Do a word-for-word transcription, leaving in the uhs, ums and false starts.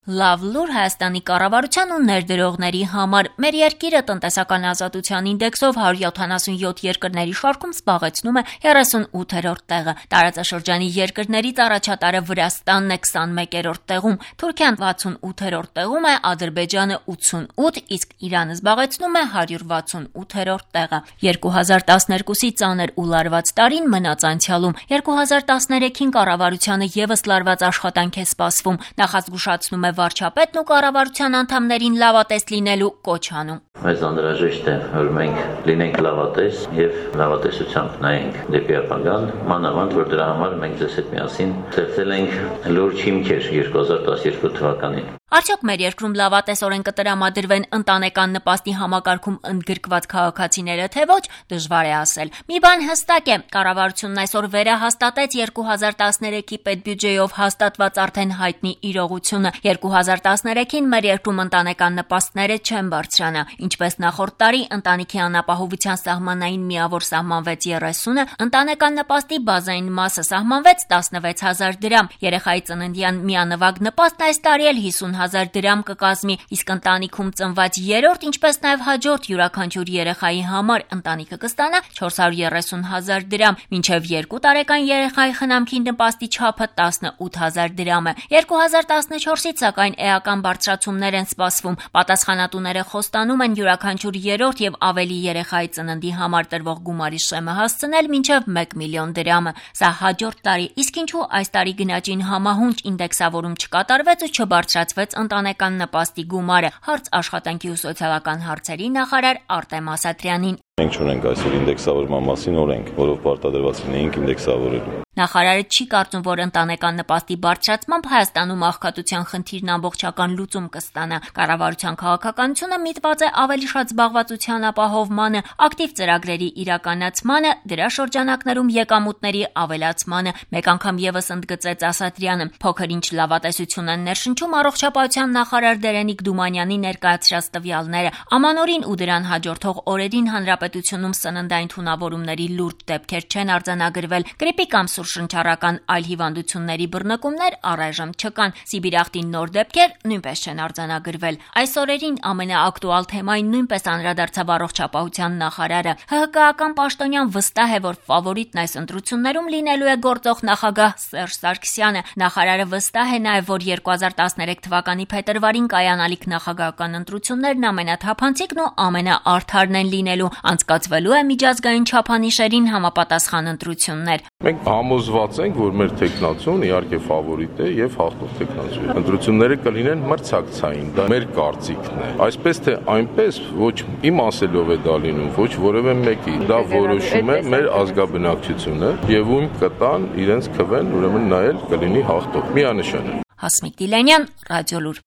Լավ լուր Հայաստանի կառավարության ու ներդրողների համար։ Մեր երկիրը տնտեսական ազատության ինդեքսով հարյուր յոթանասունյոթ երկրների շարքում զբաղեցնում է երեսունութերորդ տեղը։ Տարածաշրջանի երկրներից առաջատարը Վրաստանն է քսանմեկերորդ տեղում, Թուրքիան վաթսունութերորդ տեղում է, Ադրբեջանը ութսունութ, իսկ Իրանը զբաղեցնում է հարյուր վաթսունութերորդ տեղը։ երկու հազար տասներկուսի ծանր ու լարված տարին մնաց անցյալում։ երկու հազար տասներեքին կառավարությանը ևս լարված աշխատանք է սպասվում։ Նախազգուշացնում է վարչապետն ու կառավարության անդամներին լավատես լինելու կոչ անում։ Մեզ անհրաժեշտ է, որ մենք լինենք լավատես եւ լավատեսությամբ նայենք դեպի ապագան, մանավանդ որ դրա համար մենք ձեզ հետ միասին ստեղծել ենք լուրջ հիմքեր երկու հազար տասներկու թվականին։ Արդյոք մեր երկրում լավատեսորեն կտրամադրվեն ընտանեկան նպաստի համակարգում ընդգրկված քաղաքացիները, թե ոչ, դժվար է ասել։ Մի բան հստակ է, կառավարությունն այսօր վերահաստատեց երկու հազար տասներեքի պետբյուջեով հաստատված արդեն հայտնի իրողությունը։ երկու հազար տասներեքին մեր երկրում ընտանեկան նպաստները չեն բարձրանա։ Ինչպես նախորդ տարի ընտանիքի անապահովության սահմանային միավոր սահմանվեց երեսունը, ընտանեկան նպաստի բազային մասը սահմանվեց տասնվեց հազար դրամ։ Երեխայի ծննդյան միանվագ նպաստն այս տարի էլ հիսուն հազար դրամ կկազմի, իսկ ընտանիքում ծնված երրորդ, ինչպես նաև հաջորդ յուրաքանչյուր երեխայի համար ընտանիքը կստանա չորս հարյուր երեսուն հազար դրամ, մինչև երկու տարեկան երեխայի խնամքի նպաստի չափը տասնութ հազար դրամ է։ երկու հազար տասնչորսից սակայն էական բարձրացումներ են սպասվում։ Պատասխանատուները խոստանում են յուրաքանչյուր երրորդ եւ ավելի երեխայի ծննդի համար տրվող գումարի շեմը հասցնել մինչև մեկ միլիոն դրամը։ Սա հաջորդ տարի, իսկ ինչու այս տարի գնաճին համահունչ ինդեքսավորում չկատարվեց ու չբարձրացվեց ընտանեկան նպաստի գումարը, հարց աշխատանքի ու սոցիալական հարցերի նախարար Արտեմ Ասատրյանին։ Մենք չունենք այսօր ինդեքսավորման մասին օրենք, որով պարտադրված լինեինք ինդեքսավորելու։ Նախարարը չի կարծում, որ ընտանեկան նպաստի բարձրացմամբ Հայաստանում աղքատության խնդիրն ամբողջական լուծում կստանա։ Կառավարության քաղաքականությունը միտված է ավելի շատ զբաղվածության ապահովմանը, ակտիվ ծրագրերի իրականացմանը, դրա շրջանակներում եկամուտների ավելացմանը։ Մեկ անգամ ևս ընդգծեց Ասատրյանը։ Փոքր-ինչ լավատեսություն են ներշնչում առողջապահության նախարար Դերենիկ Դումանյանի ներկայացրած տվյալները։ Ամանորին ու դրան հաջորդող օրերին հանրապետությունում սննդային թունավորումների լուրջ դեպքեր չեն արձանագրվել։ Գրիպի կամ շնչառական այլ հիվանդությունների բռնկումներ առայժմ չկան։ Սիբիրախտի նոր դեպքեր նույնպես չեն արձանագրվել։ Այս օրերին ամենաակտուալ թեմային նույնպես անդրադարձավ առողջապահության նախարարը։ ՀՀԿ-ական պաշտոնյան վստահ է, որ ֆավորիտն այս ընտրություններում լինելու է գործող նախագահ Սերժ Սարգսյանը։ Նախարարը վստահ է նաև, որ երկու հազար տասներեք թվականի փետրվարին կայանալիք նախագահական ընտրություններն ամենաթափանցիկն ու ամենաարդարն են լինելու։ Անցկացվելու է միջազգային չափանիշերին համապատասխան ընտրություններ։ Մենք համոզված ենք, որ մեր տեխնացուն իհարկե ֆավորիտ է եւ հաղթող տեխնացու է։ Ընտրությունները կլինեն մրցակցային, դա մեր կարծիքն է։ Այսպես թե այնպես ոչ իմ ասելով է դա լինում, ոչ որևէ մեկի։ Դա որոշում է մեր ազգաբնակչությունը եւ ում կտան իրենց քվեն, ուրեմն նա էլ կլինի հաղթող։ Միանշան է։ Հասմիկ Դիլանյան, Ռադիոլուր։